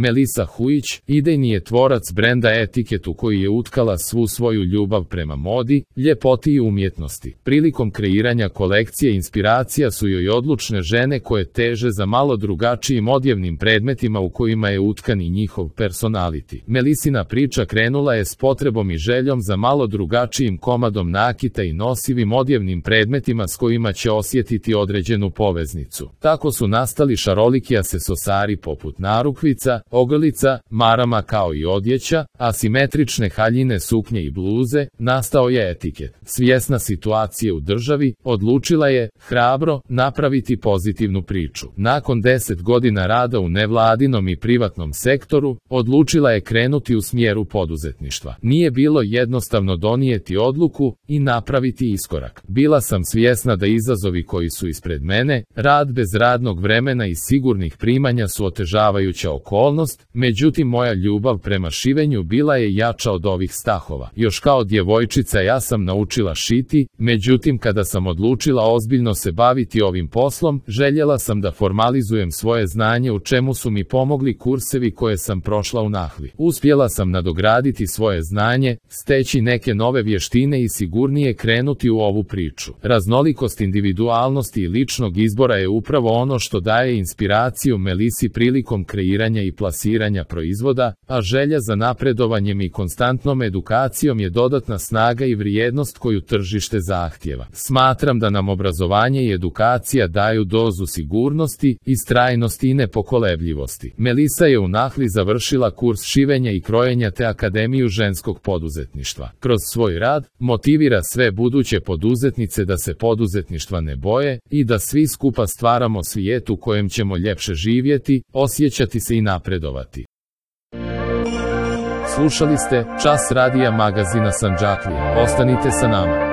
Melisa Hujić, idejni je tvorac brenda Etiket u koji je utkala svu svoju ljubav prema modi, ljepoti i umjetnosti. Prilikom kreiranja kolekcije inspiracija su joj odlučne žene koje teže za malo drugačijim odjevnim predmetima u kojima je utkan i njihov personality. Melisina priča krenula je s potrebom i željom za malo drugačijim komadom nakita i nosivim odjevnim predmetima s kojima će osjetiti određenu poveznicu. Tako su nastali šaroliki asesosari poput narukvica, ogrlica, marama kao i odjeća, asimetrične haljine, suknje i bluze. Nastao je Etiket. Svjesna situacije u državi, odlučila je, hrabro, napraviti pozitivnu priču. Nakon 10 godina rada u nevladinom i privatnom sektoru, odlučila je krenuti u smjeru poduzetništva. Nije bilo jednostavno donijeti odluku i napraviti iskorak. Bila sam svjesna da izazovi koji su ispred mene, rad bez radnog vremena i sigurnih primanja su otežavajuća okolnost, međutim moja ljubav prema šivenju bila je jača od ovih stahova. Još kao djevojčica ja sam naučila šiti, međutim kada sam odlučila ozbiljno se baviti ovim poslom, željela sam da formalizujem svoje znanje, u čemu su mi pomogli kursevi koje sam prošla u Nahvi. Uspjela sam nadograditi svoje znanje, steći neke nove vještine i sigurnije krenuti u ovu priču. Raznolikost individualnosti i ličnog izbora je upravo ono što daje inspiraciju Melisi prilikom kreiranja i plasiranja proizvoda, a želja za napredovanjem i konstantnom edukacijom je dodatna snaga i vrijednost koju tržište zahtjeva. Smatram da nam obrazovanje i edukacija daju dozu sigurnosti, istrajnosti i nepokolebljivosti. Melisa je u Nahli završila kurs šivenja i krojenja te Akademiju ženskog poduzetništva. Kroz svoj rad, motivira sve buduće poduzetnice da se poduzetništva ne boje i da svi skupa stvaramo svijet u kojem ćemo ljepše živjeti, osjećati se i napredovati. Slušali ste Čas radija magazina Sandžaklija. Ostanite sa nama.